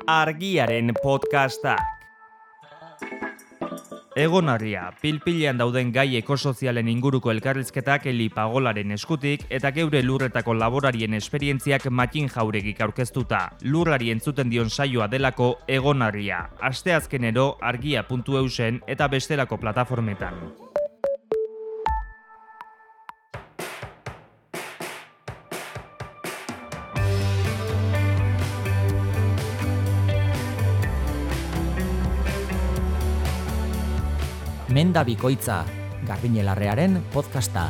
Argiaren podcastak. Egonarria, pilpilean dauden gai ekosozialen inguruko elkarrizketak Eli Pagolaren eskutik eta geure lurretako laborarien esperientziak Matin Jauregik aurkeztuta. Lurrari entzuten dion saioa delako Egonarria. Asteazkenero argia.eusen eta bestelako plataformetan. Menda Bikoitza, Garbine Larrearen podcasta.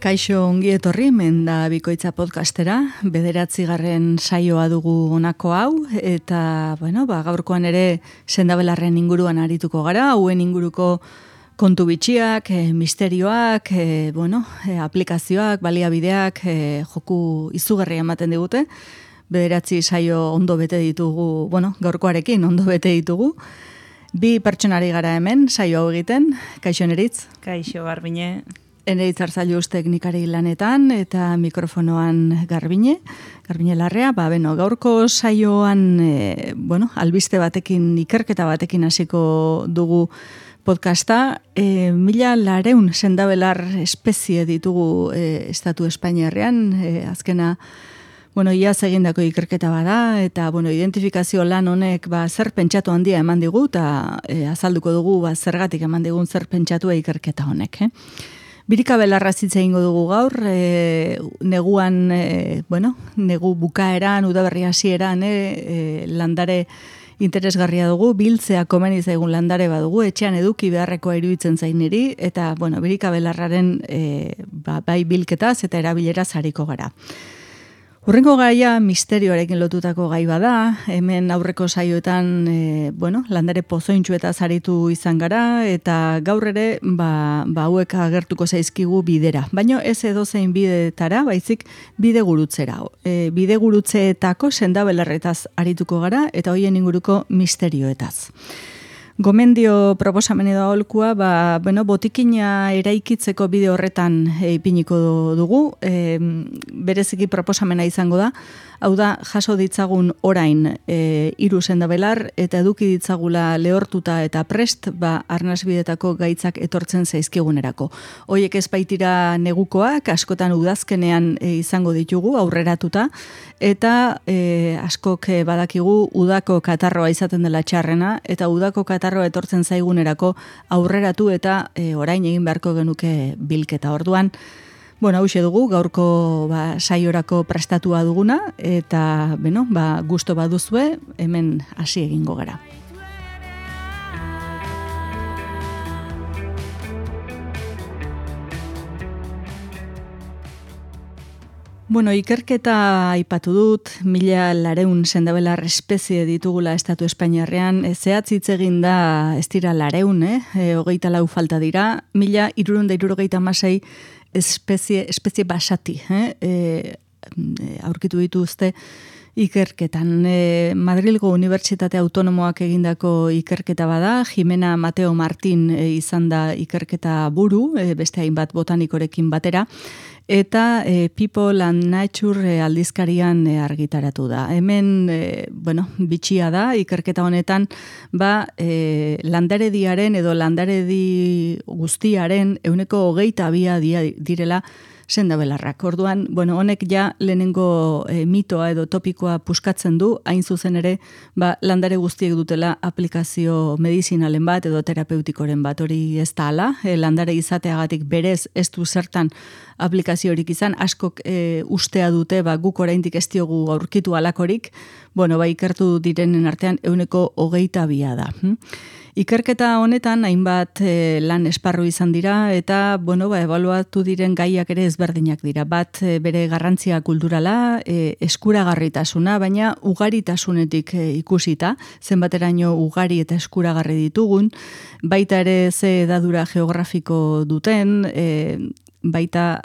Kaixo ongi etorri Menda Bikoitza podcastera, 9. saioa dugu honako hau, eta gaurkoan ere sendabelarren inguruan arituko gara, hauen inguruko kontu bitxiak, misterioak, aplikazioak, baliabideak, joku izugarria ematen digute. 9 saio ondo bete ditugu, gaurkoarekin ondo bete ditugu. 2 pertsonari gara hemen, saio hau egiten. Kaixo Eneritz? Kaixo Garbine. Eneritz Arzailuz teknikari lanetan eta mikrofonoan Garbine Larrea. Gaurko saioan, albiste batekin, ikerketa batekin hasiko dugu podcasta. 1.400 sendabelar espezie ditugu estatu Espainiarrean, azkena iaz egindako ikerketa bada, eta identifikazio lan honek zer pentsatu handia eman digu, eta azalduko dugu zergatik eman digun zer pentsatua ikerketa honek. Birika belarra zitza egingo dugu gaur, neguan, negu bukaeran, udaberri hasieran, landare interesgarria dugu, biltzea komeni zaigun landare badugu, etxean eduki beharrekoa iruditzen zain niri, eta birika belarraren bai bilketaz eta erabileraz hariko gara. Hurrengo gaia misterioarekin lotutako gai bada, hemen aurreko saioetan landare pozointxuetaz aritu izan gara, eta gaur ere hauek agertuko zaizkigu bidera. Baina ez edozein bidetara, baizik bidegurutzeera. Bidegurutzeetako sendabelarretaz arituko gara, eta hoien inguruko misterioetaz. Gomendio proposamen edo aholkua, botikina eraikitzeko bide horretan ipiniko dugu, bereziki proposamena izango da, hau da, jaso ditzagun orain 3 sendabelar eta eduki ditzagula lehortuta eta prest, arnasbidetako gaitzak etortzen zaizkigunerako. Hoiek ez baitira negukoak, askotan udazkenean izango ditugu, aurreratuta, eta askok badakigu udako katarroa izaten dela txarrena, eta udako katarroa etortzen zaigunerako aurreratu eta orain egin beharko genuke bilketa. Orduan, hauxe dugu, gaurko saiorako prestatua duguna, eta gusto baduzue, hemen hasi egingo gara. Ikerketa aipatu dut, 1.400 sendabelar espezie ditugula estatu Espainiarrean, zehatz hitz egin da ez dira 400, 24 falta dira, 1.376 espezie basati, aurkitu dituzte ikerketan. Madrilgo Unibertsitate Autonomoak egindako ikerketa bada, Jimena Mateo Martin izan da ikerketa buru, beste hainbat botanikorekin batera, eta People and Nature aldizkarian argitaratu da. Hemen, bitxia da, ikerketa honetan, landarediaren edo landaredi guztiaren 22% direla sendabelarrak. Orduan, honek ja lehenengo mitoa edo topikoa puskatzen du, hain zuzen ere, landare guztiek dutela aplikazio medizinalen bat edo terapeutikoren bat, hori ez da ala, landare izateagatik berez ez du zertan aplikaziorik izan, askok ustea dute, guk oraindik ez diogu aurkitu alakorik, ikertu direnen artean 22% da. Ikerketa honetan hainbat lan esparru izan dira eta ebaluatu diren gaiak ere ezberdinak dira. Bat bere garrantzia kulturala, eskuragarritasuna, baina ugaritasunetik ikusita, zenbateraino ugari eta eskuragarri ditugun, baita ere ze edadura geografiko duten, baita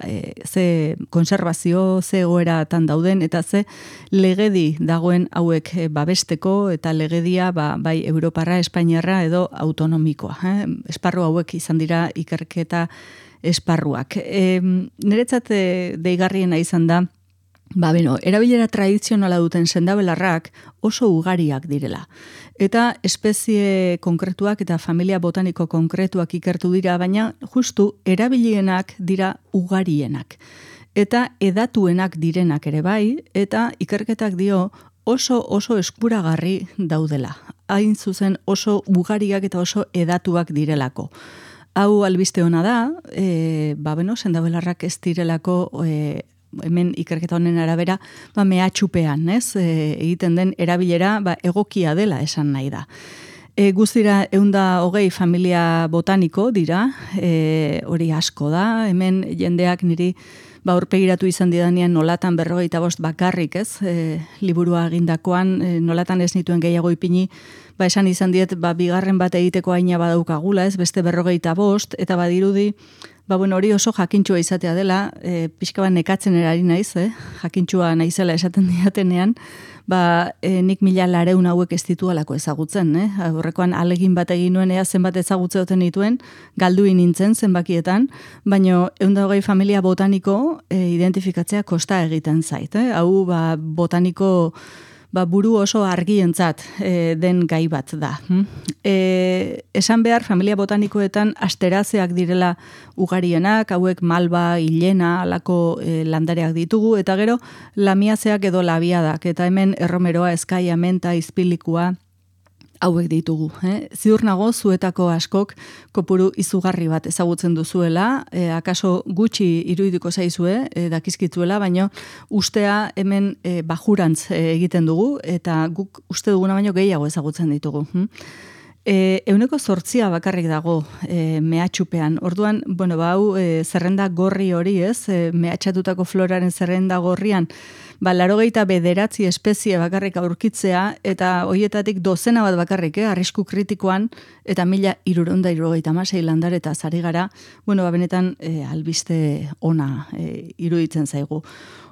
ze konserbazio, ze egoeratan dauden, eta ze legedi dagoen hauek babesteko, eta legedia bai Europarra, Espainiarra edo autonomikoa. Esparru hauek izan dira ikerketa esparruak. Niretzat deigarriena izan da, erabilera tradizionala duten sendabelarrak oso ugariak direla. Eta espezie konkretuak eta familia botaniko konkretuak ikertu dira, baina justu erabilienak dira ugarienak. Eta edatuenak direnak ere bai, eta ikerketak dio oso eskuragarri daudela. Hain zuzen oso ugariak eta oso edatuak direlako. Hau albiste ona da, sendabelarrak ez direlako hemen ikerketa honen arabera, mehatxupean, egiten den erabilera egokia dela esan nahi da. Guztira 120 familia botaniko dira, hori asko da, hemen jendeak niri aurpegiratu izan didanean nolatan 45 bakarrik, liburua egindakoan, nolatan ez nituen gehiago ipini, esan izan diet, bigarren bat egiteko aina badaukagula, beste 45, eta badirudi, hori oso jakintxua izatea dela, pixka bat nekatzen erari naiz, jakintxua naizela esaten diatenean, nik 1,400 hauek ez ditualako ezagutzen, horrekoan alegin bat egin nuen ea zenbat ezagutze duten dituen, galduin nintzen zenbakietan, baina 120 familia botaniko identifikatzea kosta egiten zait, hau botaniko buru oso argientzat den gai bat da. Esan behar, familia botanikoetan asterazeak direla ugarienak, hauek malba, hilena, alako landareak ditugu, eta gero lamiazeak edo labiadak, eta hemen erromeroa, eskaia, menta, izpilikua, hauek ditugu. Ziur nago zuetako askok kopuru izugarri bat ezagutzen duzuela, akaso gutxi irudiko zaizue, dakizkituela, baino ustea hemen bajurantz egiten dugu, eta guk uste duguna baino gehiago ezagutzen ditugu. 8% bakarrik dago mehatxupean. Orduan, hau zerrenda gorri hori mehatxatutako floraren zerrenda gorrian, 89 espezie bakarrik aurkitzea, eta horietatik dozena bat bakarrik, arrisku kritikoan, eta 1,376 landare zari gara, benetan albiste ona iruditzen zaigu.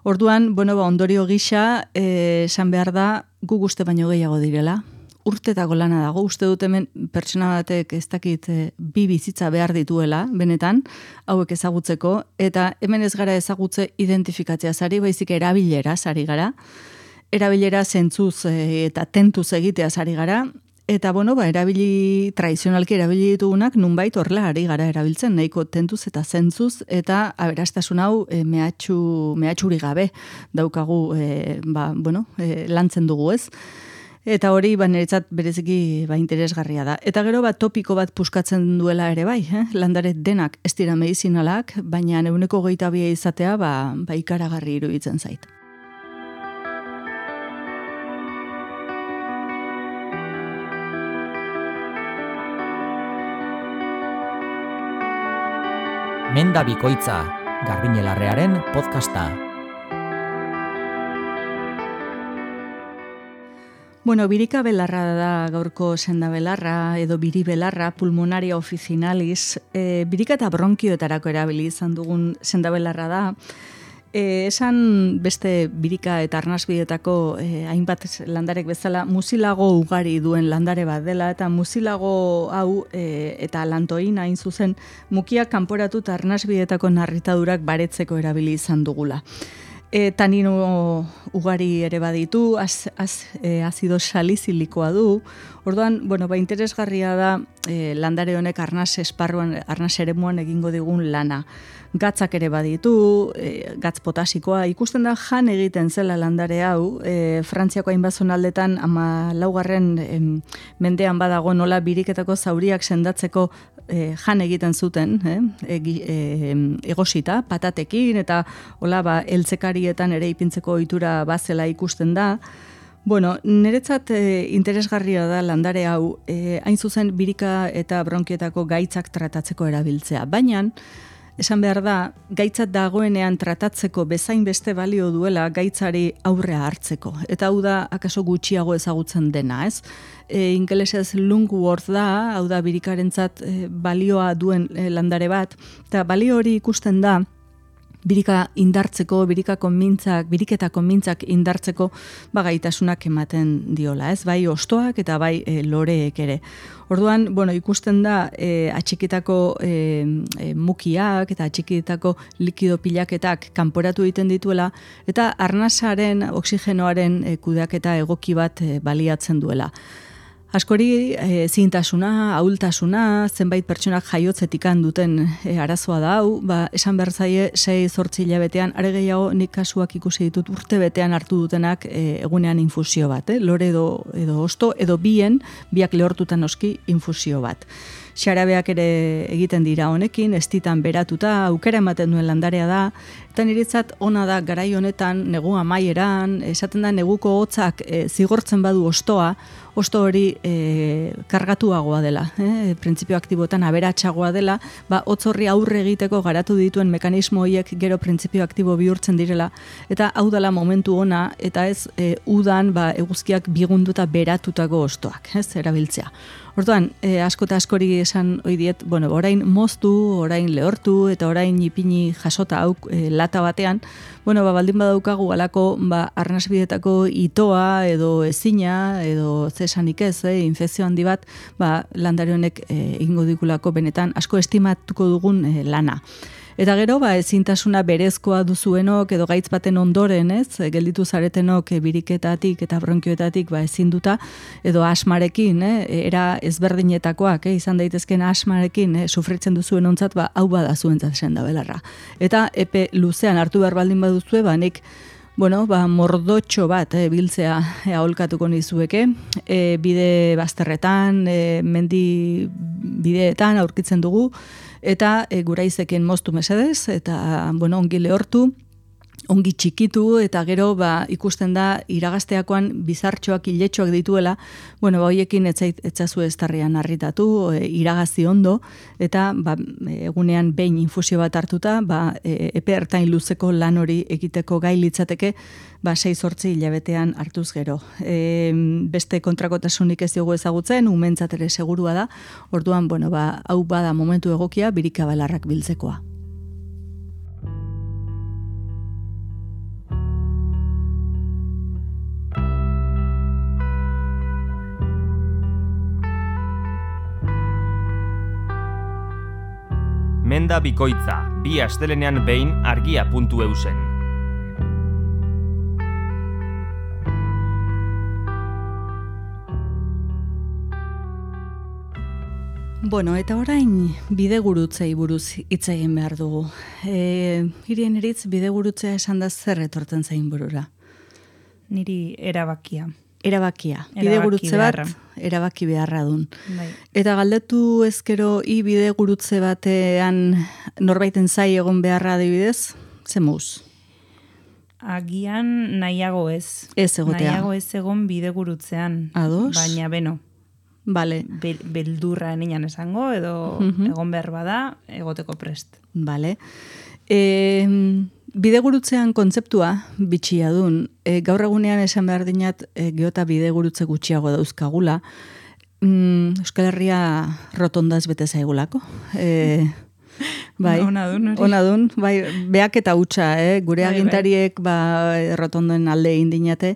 Orduan, ondorio gisa, esan behar da, gu uste baino gehiago direla, urtetako lana dago, uste dut hemen pertsona batek ez dakit 2 bizitza behar dituela, benetan, hauek ezagutzeko, eta hemen ez gara ezagutze identifikatzea zari, baizik erabilera zari gara, erabilera zentzuz eta tentuz egitea zari gara, eta tradizionalki erabili ditugunak nunbait horrela ari gara erabiltzen, nahiko tentuz eta zentzuz, eta aberastasun hau mehatxuri gabe daukagu, lantzen dugu ez. Eta hori, niretzat bereziki interesgarria da. Eta gero topiko bat puskatzen duela ere bai, landare denak ez dira medizinalak, baina 122 izatea ikaragarri iruditzen zait. Menda bikoitza, Garbiñe Larrearen podcasta. Birika belarra da gaurko sendabelarra edo biribelarra, pulmonaria officinalis, birika eta bronkioetarako erabili izan dugun sendabelarra da. Esan beste birika eta arnasbietako hainbat landarek bezala muzilago ugari duen landare bat dela, eta muzilago hau eta lantoina hain zuzen mukiak kanporatu eta arnasbietako narritadurak baretzeko erabili izan dugula. Tanino ugari ere baditu, azido salizilikoa du. Orduan, interesgarria da landare honek arnas esparruan, arnas eremuan egingo digun lana. Gatzak ere baditu, gatz potasikoa, ikusten da jan egiten zela landare hau, Frantziako hainbat zonaldetan 14. Mendean badago nola biriketako zauriak sendatzeko jan egiten zuten, egosita, patatekin, eta hola eltzekarietan ere ipintzeko ohitura bazela ikusten da. Niretzat interesgarria da landare hau, hain zuzen birika eta bronkietako gaitzak tratatzeko erabiltzea, baina esan behar da, gaitzat dagoenean tratatzeko bezain beste balio duela gaitzari aurrea hartzeko. Eta hau da, akaso gutxiago ezagutzen dena, ez? Ingelesez lungworth da, hau da birikarentzat balioa duen landare bat, eta balio hori ikusten da, birika indartzeko, biriketa konmintzak indartzeko gaitasunak ematen diola, ez? Bai ostoak eta bai loreek ere. Orduan, ikusten da atxikitako mukiak eta atxikitako likido pilaketak kanporatu egiten dituela eta arnasaren, oxigenoaren kudeaketa egoki bat baliatzen duela. Askori zintasuna, ahultasuna, zenbait pertsonak jaiotzetik duten arazoa da hau, esan behar zaie 6-8 hilabetean, are gehiago nik kasuak ikusi ditut urte betean hartu dutenak egunean infusio bat, lore edo osto, edo biak lehortutan noski infusio bat. Xarabeak ere egiten dira honekin, estitan beratuta, aukera ematen duen landarea da, eta niretzat ona da garai honetan, negu amaieran, esaten da neguko hotzak zigortzen badu ostoa, osto hori kargatuagoa dela, printzipio aktiboetan aberatsagoa dela, hotz horri aurre egiteko garatu dituen mekanismo horiek gero printzipio aktibo bihurtzen direla, eta hau dela momentu ona, eta ez udan eguzkiak bigunduta beratutako ostoak, ez erabiltzea. Orduan, asko eta askori esan ohi diet, orain moztu, orain lehortu, eta orain ipini jasota hau lata batean, baldin badaukagu alako arnasbidetako itoa, edo ezina, edo zesanik ez, infekzio handi bat, landare honek egingo digulako benetan asko estimatuko dugun lana. Eta gero, ezintasuna berezkoa duzuenok edo gaitz baten ondoren, ez, gelditu zaretenok biriketatik eta bronkioetatik ezinduta, edo asmarekin, era ezberdinetakoak, izan daitezken asmarekin sufritzen duzuen ontzat, hau bada zuentzat senda belarra. Eta epe luzean hartu behar baldin baduzue, nik mordotxo bat biltzea aholkatuko nizueke, bide bazterretan, mendi bideetan aurkitzen dugu, eta guraizekin moztu mesedez, eta ongi lehortu, ongi txikitu, eta gero ikusten da iragazteakoan bizartxoak, iletxoak dituela, horiekin etzazu estarrian harritatu, iragazi ondo, eta egunean behin infusio bat hartuta, epe ertain luzeko lan hori egiteko gai litzateke, 6-8 hilabetean hartuz gero. Beste kontrakotasunik ez diogu ezagutzen, umentzat ere segurua da, orduan, hau bada momentu egokia birikabalarrak biltzekoa. Menda bikoitza, 2 astelenean behin argia.eusen. Eta orain bidegurutzei buruz hitz egin behar dugu. Hirien eritz bidegurutzea esan da zer etortzen zain burura? Niri erabakia. Erabakia. Bidegurutze bat, erabaki beharra dun. Eta galdetu ezkero bidegurutze batean norbaiten zai egon beharra adibidez, ze mouz? Agian nahiago ez. Ez egotea. Nahiago ez egon bidegurutzean. Ados? Baina Vale. Beldurra enian esango, edo egon behar bada, egoteko prest. Vale. Bidegurutzean kontzeptua bitxia dun. Gaur egunean esan behar dinat geota bidegurutze gutxiago dauzkagula. Euskal Herria rotondaz bete zaigulako. Ona dun. Beak eta hutsa, gure agintariek rotondoen alde indinate.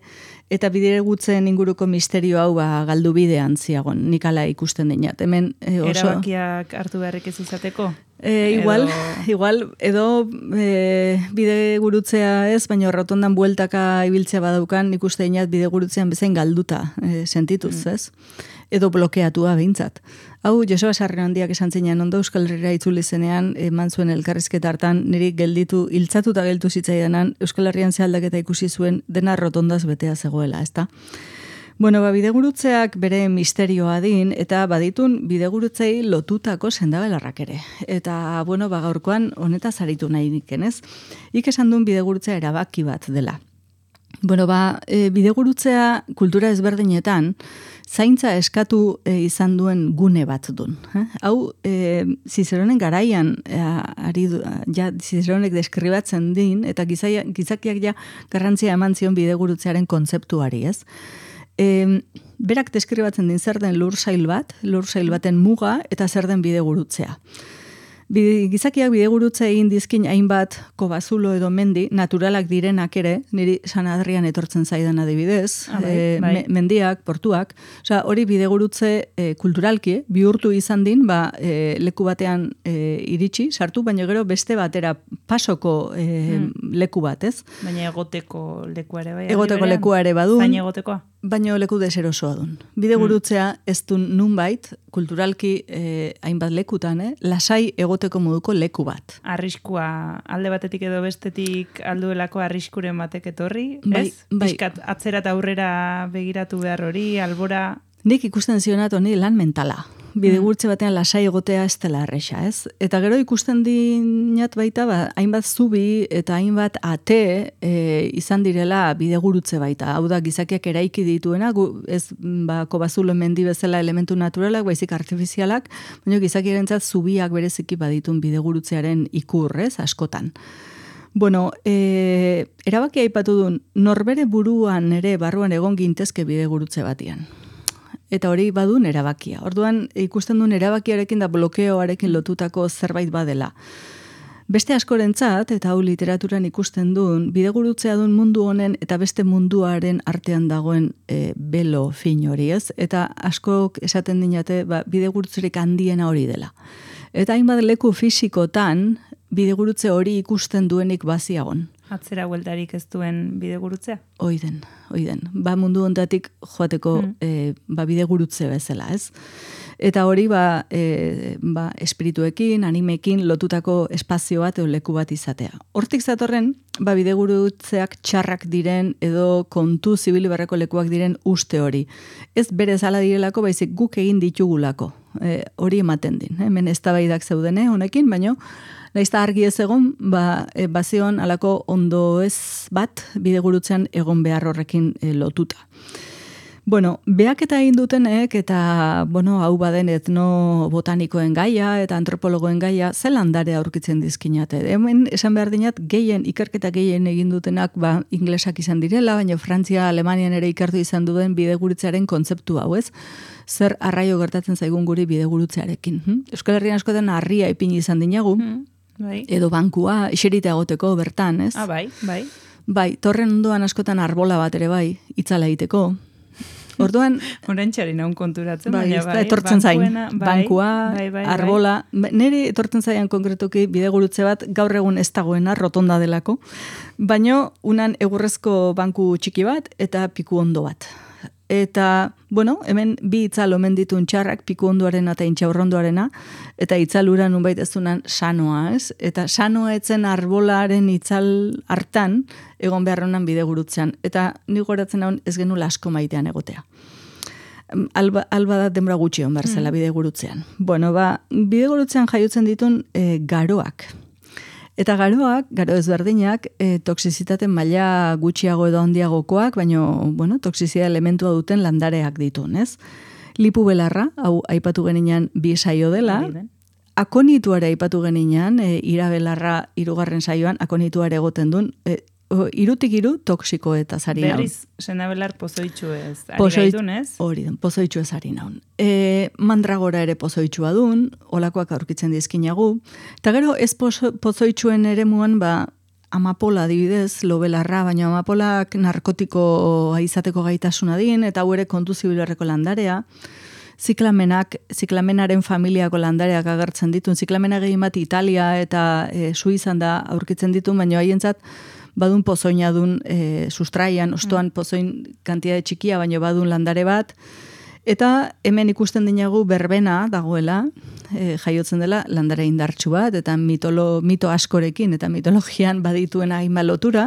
Eta bidegutzen inguruko misterio hau galdu bidean ziagon, nik ala ikusten dinat. Hemen oso... Erabakiak hartu beharrik ez izateko? Igual, edo bidegurutzea ez, baina rotondan bueltaka ibiltzea badaukan, ikuste dinat bidegurutzean bezain galduta sentituz, ez? Edo blokeatua behintzat. Hau, Joseba Sarriondiak esan zinean ondo Euskal Herria itzuli zenean, eman zuen elkarrizketa hartan, niri hiltzatuta geltu zitzaidanan, Euskal Herrian zealdaketa ikusi zuen dena rotondaz betea zegoela, ezta? Bidegurutzeak bere misterioa din, eta baditun bidegurutzei lotutako sendabelarrak ere. Eta, gaurkoan honetaz aritu nahi nikenez. Ik esan duen bidegurutzea erabaki bat dela. Bidegurutzea kultura ezberdinetan zaintza eskatu izan duen gune bat dun. Hau, Zizeronen garaian Zizeronek deskribatzen din, eta gizakiak garrantzia eman zion bidegurutzearen kontzeptuari, ez? Berak deskribatzen din zer den lursail baten muga eta zer den bidegurutzea. Gizakiak bidegurutze egin dizkin hainbat kobazulo edo mendi, naturalak direnak ere, niri San Adrian etortzen zaidan adibidez, mendiak, portuak, hori bidegurutze kulturalki, bihurtu izan din, leku batean iritsi, sartu, baina gero beste batera pasoko leku bat, ez? Baina egoteko lekua ere bai. Egoteko lekua ere badun. Zain egotekoa. Baina leku deserosoa dun. Bidegurutzea ez du nunbait, kulturalki hainbat lekutan, lasai egoteko moduko leku bat. Arriskua alde batetik edo bestetik alduelako arriskuren batek etorri, bai, ez? Piskat atzera eta aurrera begiratu behar hori, albora... Nik ikusten zionat honi lan mentala. Bidegurtze batean lasai egotea ez dela erresa, ez? Eta gero ikusten dinat baita, hainbat zubi eta hainbat ate izan direla bidegurutze baita. Hau da, gizakiak eraiki dituena, ez kobazulo mendi bezala elementu naturalak, baizik artifizialak, baina gizakiarentzat zubiak bereziki baditun bidegurutzearen ikur, ez? Askotan. Bueno, erabaki aipatu duen, norbere buruan ere barruan egon gintezke bidegurutze batian. Eta hori badun erabakia. Orduan ikusten duen erabakiarekin da blokeoarekin lotutako zerbait badela. Beste askorentzat, eta hau literaturan ikusten duen, bidegurutzea duen mundu honen eta beste munduaren artean dagoen belo fin hori, ez? Eta askok esaten dinate, bidegurutzerik handiena hori dela. Eta hainbat leku fisikotan, bidegurutze hori ikusten duenik baziagon. Atzera bueltarik ez duen bidegurutzea? Oiden. Mundu hontatik joateko bidegurutze bezala, ez? Eta hori espirituekin, animekin lotutako espazio bat edo leku bat izatea. Hortik zatorren, bidegurutzeak txarrak diren edo kontu zibil barreko lekuak diren uste hori. Ez berez ala direlako, baizik guk egin ditugulako. Hori ematen din. Hemen eztabaidak zeudene honekin, baino naizta argi ez egon, bazion alako ondo ez bat bidegurutzean egon behar horrekin lotuta. Bueno, behaketa egin dutenek eta, hau baden etnobotanikoen gaia eta antropologoen gaia, ze landare aurkitzen dizkinate. Hemen esan behar dinat, ikerketa gehien egin dutenak inglesak izan direla, baina Frantzia, Alemanian ere ikertu izan duen bidegurutzearen kontzeptu hau, ez? Zer arraio gertatzen zaigun guri bidegurutzearekin. Euskal Herrian askotan harria ipini izan dinagu, edo bankua, iserita egoteko bertan, ez? Bai. Bai, torren ondoan askotan arbola bat ere bai, itzala egiteko. Orduan... Horentxari naun konturatzen, etortzen zain, bankua, arbola. Neri etortzen zaian konkretuki bidegurutze bat gaur egun ez dagoena, rotonda delako, baino unan egurrezko banku txiki bat eta piku ondo bat. Eta, hemen bi itzal omen ditun txarrak, piku ondoarena eta intxaurrondoarena, eta itzalura nunbait ez dunan sanoa, ez? Eta sanoa etzen arbolaren itzal hartan, egon beharronan bidegurutzean. Eta nik goratzen hau ez genula asko maitean egotea. Alba da denbora gutxi hon berzela bidegurutzean. Bidegurutzean jaiotzen ditun garoak. Eta garo ezberdinak, toksizitate maila gutxiago edo handiagokoak, baina, toksizia elementua duten landareak ditun, ez? Lipu belarra, hau aipatu geninean bi saio dela, akonituare aipatu geninean, irabelarra 3. saioan, akonituare egoten duen, irutik iru toksiko eta zari naun. Berriz, senabelar pozoitxu ez, ari gaitun ez? Hori den, pozoitxu ez ari naun. Mandragora ere pozoitxua dun, olakoak aurkitzen dizkinagu, eta gero ez pozoitxuen ere muan, amapola adibidez, lobelarra, baina amapolak narkotiko izateko gaitasuna din, eta hau ere kontu zibilarreko landarea, ziklamenaren familiako landareak agertzen ditun, ziklamena gehien bat Italia eta Suizan da aurkitzen ditun, baina haientzat badun pozoina dun sustraian, ostoan pozoin kantitate txikia, baina badun landare bat, eta hemen ikusten dinagu berbena dagoela, jaiotzen dela landare indartsu bat, eta mito askorekin, eta mitologian badituena hainbat lotura,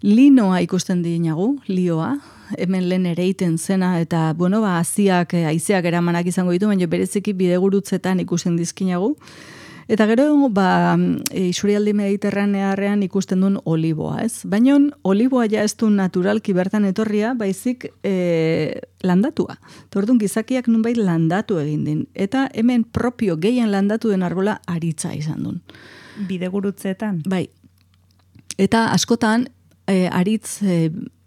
linoa ikusten dinagu, lioa, hemen lehen ereiten zena, eta, haizeak eramanak izango ditu, baina bereziki bidegurutzetan ikusten dizkinagu. Eta gero, isurialdi mediterranearrean ikusten duen oliboa, ez? Baina oliboa ja ez du naturalki bertan etorria, baizik landatua. Tordun gizakiak nunbait landatu egin din. Eta hemen propio gehien landatu den arbola aritza izan duen. Bidegurutzeetan? Bai. Eta askotan, aritz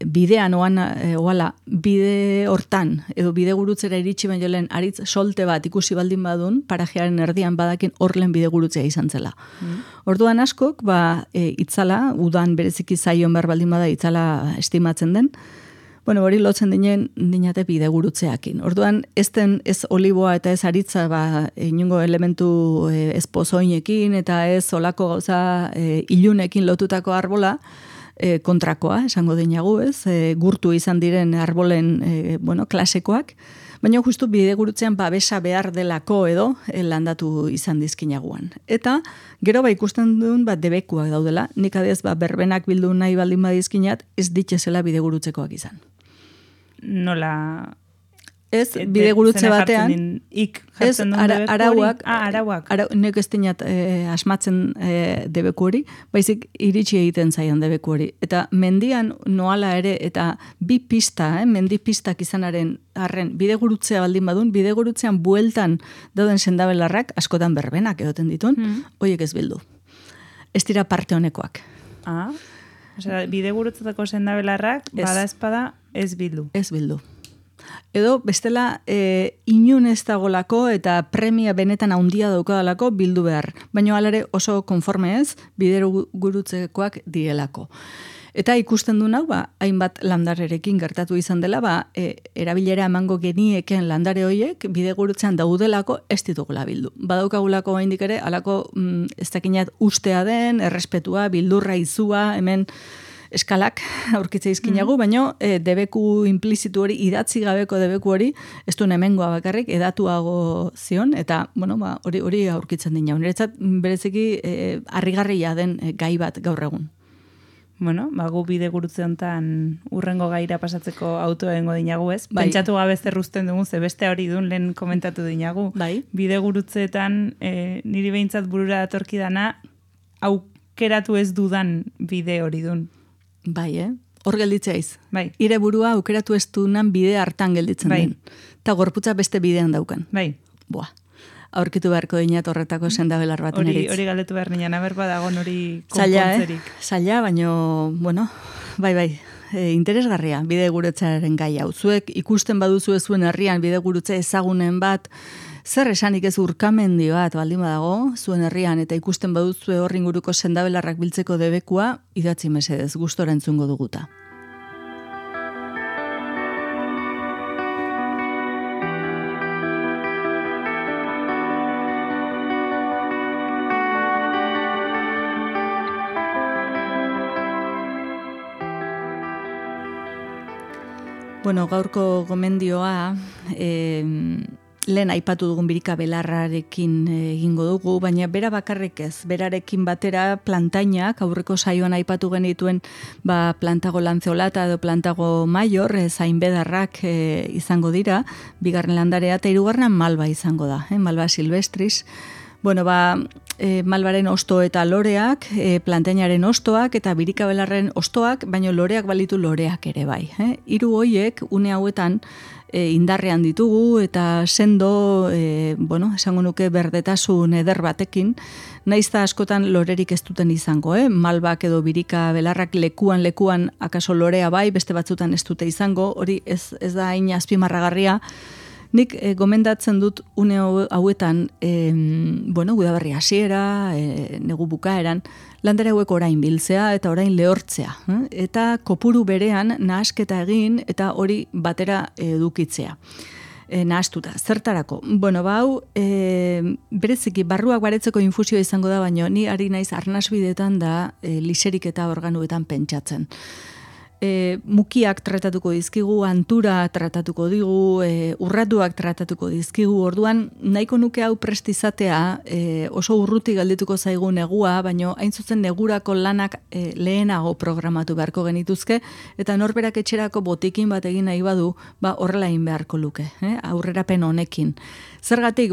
bidean oala, bide hortan, edo bide gurutzera iritsi baino lehen aritz solte bat ikusi baldin badun, parajearen erdian badakin horlen bide gurutzea izan zela. Orduan askok, itzala, udan bereziki zaion behar baldin bada itzala estimatzen den, bueno, hori lotzen dinate bide gurutzeakin. Orduan, ez oliboa eta ez aritza, inungo elementu ez pozoinekin eta ez olako gauza ilunekin lotutako arbola, kontrakoa, esango dinagu, ez? Gurtu izan diren arbolen, klasekoak, baina justu bide gurutzean babesa behar delako edo landatu izan dizkinaguan. Eta, gero ikusten duen debekuak daudela, nik adez berbenak bildu nahi baldin badizkinat, ez ditxezela bide gurutzekoak izan. Nola... Ez, bide gurutze batean, ez, arauak, nek ez dinat asmatzen debeku hori, baizik iritsi egiten zaion debeku hori. Eta mendian noala ere, eta bi pista, mendi pistak izanaren arren, bide gurutzea baldin badun, bide gurutzean bueltan dauden sendabelarrak, askotan berbenak egoten ditun, horiek ez bildu. Ez dira parte honekoak. Osea, bide gurutzetako sendabelarrak, bada espada, ez bildu. Ez bildu. Edo, bestela, inun ez dagolako eta premia benetan handia daukadalako bildu behar. Baina alare oso konforme ez, bidero gurutzekoak dielako. Eta ikusten du nau, hainbat landarerekin gertatu izan dela, erabilera emango genieken landare hoiek, bide gurutzean daudelako ez ditugula bildu. Badaukagulako haindik ere, alako ez dakinat ustea den, errespetua, bildurra izua, hemen eskalak aurkitze izkinagu, baina debeku implizitu hori, idatzi gabeko debeku hori, ez du hemengoa bakarrik, edatuago zion, eta hori aurkitzen dina. Niretzat bereziki harrigarria den gai bat gaur egun. Bueno, gu bide gurutze hontan urrengo gaira pasatzeko autoa egingo dinagu, ez? Pentsatu gabe zerruzten dugu, ze beste hori dun lehen komentatu dinagu. Bide gurutzeetan niri behintzat burura datorki dana aukeratu ez dudan bide hori dun. Hor gelditzeiz. Ire burua aukeratu ez dunan bide hartan gelditzen den. Eta gorputza beste bidean daukan. Aurkitu beharko dinat horretako sendabelar baten eritz. Hori galdetu behar nian, aberba dagoen hori konpontzerik. Zaila, baino, interesgarria bide gurutzaren gai hau. Zuek ikusten baduzu zuen herrian bide gurutze ezagunen bat, zer esanik ez urkamendi bat baldin badago, zuen herrian, eta ikusten baduzu horri inguruko sendabelarrak biltzeko debekua, idatzi mesedez, gustora entzungo duguta. Bueno, gaurko gomendioa, lehen aipatu dugun birika belarrarekin egingo dugu, baina bera bakarrik ez, berarekin batera plantainak, aurreko saioan aipatu genituen plantago lanceolata edo plantago maior, zainbedarrak izango dira, bigarren landarea, eta hirugarrenan malba izango da, malba silvestris. Bueno, malbaren osto eta loreak, plantainaren ostoak eta birikabelarren ostoak, baino loreak balitu loreak ere bai. Hiru hoiek une hauetan indarrean ditugu eta sendo, esango nuke berdetasun eder batekin, naizta askotan lorerik ez duten izango, malbak edo birikabelarrak lekuan akaso lorea bai, beste batzutan ez dute izango, hori ez da hain azpimarragarria. Nik gomendatzen dut une hauetan, udaberri hasiera, negu bukaeran, landare hauek orain biltzea eta orain lehortzea. Eta kopuru berean nahasketa egin eta hori batera edukitzea. Nahastuta, zertarako. Hau, bereziki, barruak baretzeko infusio izango da, baina ni ari naiz arnasbideetan da liserik eta organuetan pentsatzen. Mukiak tratatuko dizkigu, antura tratatuko digu, urratuak tratatuko dizkigu, orduan nahiko nuke hau prestizatea oso urruti galdituko zaigu negua, baino hain zuzen negurako lanak lehenago programatu beharko genituzke, eta norberak etxerako botikin bat egin nahi badu, horrela egin beharko luke, aurrerapen honekin. Zergatik,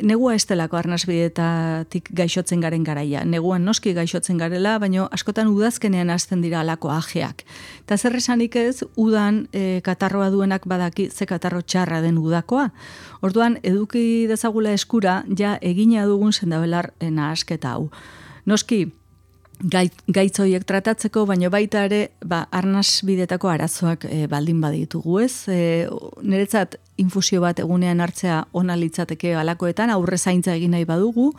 negua estelako arnasbideetatik gaixotzen garen garaia. Neguan noski gaixotzen garela, baino askotan udazkenean hasten dira alako ajeak. Eta zer esanik ez, udan katarroa duenak badaki ze katarro txarra den udakoa. Orduan, eduki dezagula eskura, ja egina dugun sendabelar nahasketa hau. Noski, gaitz horiek tratatzeko, baina baita ere, arnas bidetako arazoak baldin baditugu, ez? Niretzat infusio bat egunean hartzea ona litzateke halakoetan, aurre zaintza egin nahi badugu,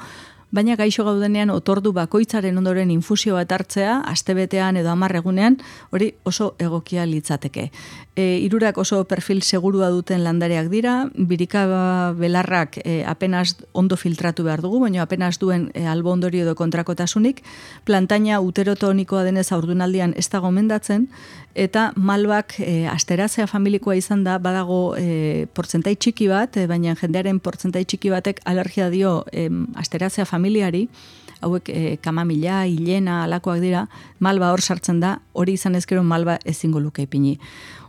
baina gaixo gaudenean otordu bakoitzaren ondoren infusio bat hartzea, astebetean edo 10 egunean, hori oso egokia litzateke. Hirurak oso perfil segurua duten landareak dira, birika belarrak apenas ondo filtratu behar dugu, baina apenas duen albo ondorio edo kontrakotasunik, plantaina uterotonikoa denez haurdunaldian ez da gomendatzen, eta malbak asterazea familikoa izan da, badago portzentai txiki bat, baina jendearen portzentai txiki batek alergia dio asterazea familiari, hauek kamamila, hilena, alakoak dira, malba hor sartzen da, hori izan ezkero malba ezingo luke ipini.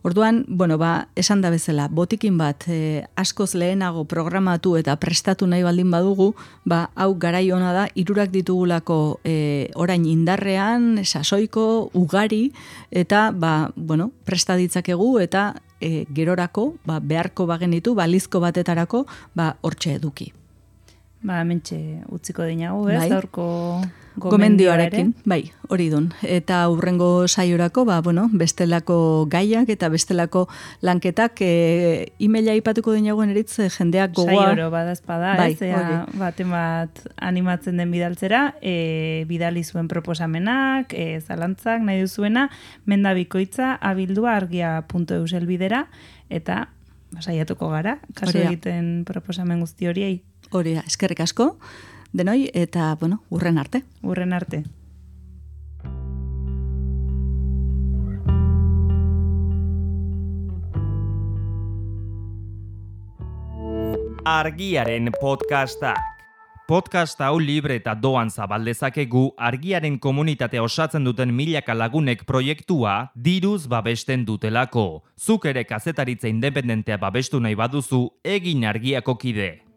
Orduan, esan da bezala, botikin bat askoz lehenago programatu eta prestatu nahi baldin badugu, hau garai ona da, 3 ditugulako orain indarrean, sasoiko, ugari, eta presta ditzakegu eta gerorako, beharko bagenitu, balizko batetarako, hortxe eduki. Hementxe utziko dinagu, ez? Bai. Gaurko gomendioarekin, bai, hori dun. Eta hurrengo saiorako, bestelako gaiak eta bestelako lanketak emaila ipatuko dinagoen eritz jendeak gogoa. Saioro badazpada, bai, ez? Baten bat animatzen den bidaltzera, bidali zuen proposamenak, zalantzak nahi duzuena, mendabikoitza abildua@argia.eus elbidera, eta saiatuko gara, kasu egiten proposamen guzti horiei. Hori da, eskerrik asko, denoi, eta, urren arte. Urren arte. Argiaren podcastak. Podcast hau libre eta doan zabaldezakegu Argiaren komunitatea osatzen duten milaka lagunek proiektua diruz babesten dutelako. Zuk ere kazetaritza independentea babestu nahi baduzu, egin Argiako kide.